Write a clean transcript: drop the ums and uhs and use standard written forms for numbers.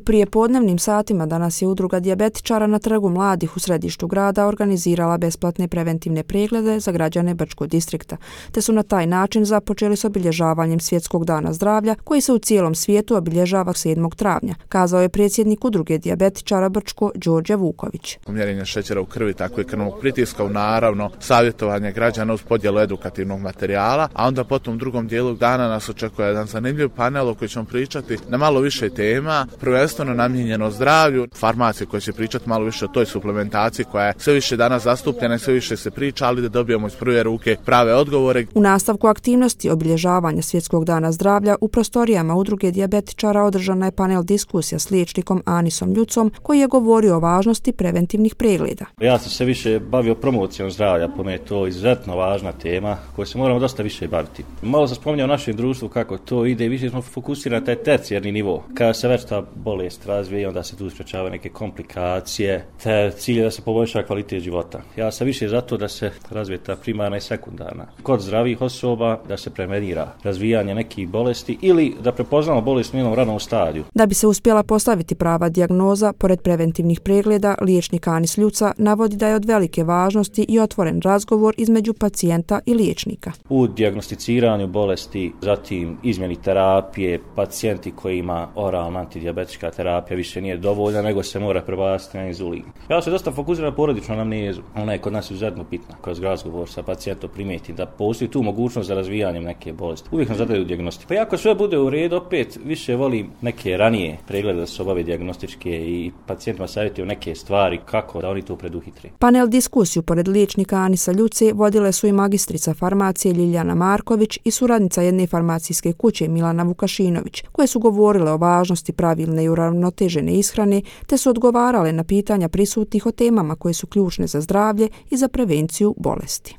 prijepodnevnim satima danas je Udruga dijabetičara na Trgu mladih u središtu grada organizirala besplatne preventivne preglede za građane Brčkog distrikta, te su na taj način započeli s obilježavanjem Svjetskog dana zdravlja koji se u cijelom svijetu obilježava 7. travnja, kazao je predsjednik Udruge dijabetičara Brčko Đorđe Vuković. Mjerenje šećera u krvi, tako i krvnog pritiska, naravno savjetovanje građana uz podjelu edukativnog materijala, a onda potom u drugom dijelu dana nas očekuje jedan zanimljiv panel o kojem ćemo pričati na malo više tema, prvenstveno namijenjeno zdravlju, farmacije koje će pričati malo više o toj suplementaciji koja je sve više danas zastupljena i sve više se priča, ali da dobijemo iz prve ruke prave odgovore. U nastavku aktivnosti obilježavanja Svjetskog dana zdravlja u prostorijama Udruge dijabetičara održana je panel diskusija s liječnikom Anisom Ljucom koji je govorio o važnosti preventivnih pregleda. Ja sam se više bavio promocijom zdravlja, po meni je to izuzetno važna tema koju se moramo dosta više baviti. Malo sam spominjao u našem društvu kako to ide, više smo fokusirani na taj tercijarni nivo. Kada se već ta bolest razvije, onda se tu sprečavaju neke komplikacije, te cilj je da se poboljša kvalitet života. Ja sam više zato da se razvije ta primarna i sekundarna. Kod zdravih osoba da se prevenira razvijanje nekih bolesti ili da prepoznamo bolest u njenom ranom stadiju. Da bi se uspjela postaviti prava dijagnoza, pored preventivnih pregleda, liječnik Anis Ljuca navodi da je od velike važnosti i otvoren razgovor između pacijenta i liječnika. U dijagnosticiranju bolesti, zatim izmjeni terapije, pacijenti koji ima oralna antidijabetička terapija više nije dovoljna, nego se mora prebaciti na inzulin. Ja se dosta fokusiram na porodičnu anamnezu. Ona je kod nas izuzetno bitna. Kroz razgovor sa pacijentom primijeti da postoji tu mogućnost za razvijanjem neke bolesti. Uvijek nam zadaju dijagnostiku. Pa ako sve bude u redu, opet više volim neke ranije preglede da se obave dijagnostičke i pacijentima savjetuju neke stvari kako da oni to preduhitre. Panel diskusiju pored liječnika Anisa Ljuce vodile su i magistrica farmacije Ljiljana Marković i suradnica jedne farmacijske kuće Milana Vukašinović, koje su govorile o važnosti pravilne i uravnotežene ishrane, te su odgovarale na pitanja prisutnih o temama koje su ključne za zdravlje i za prevenciju bolesti.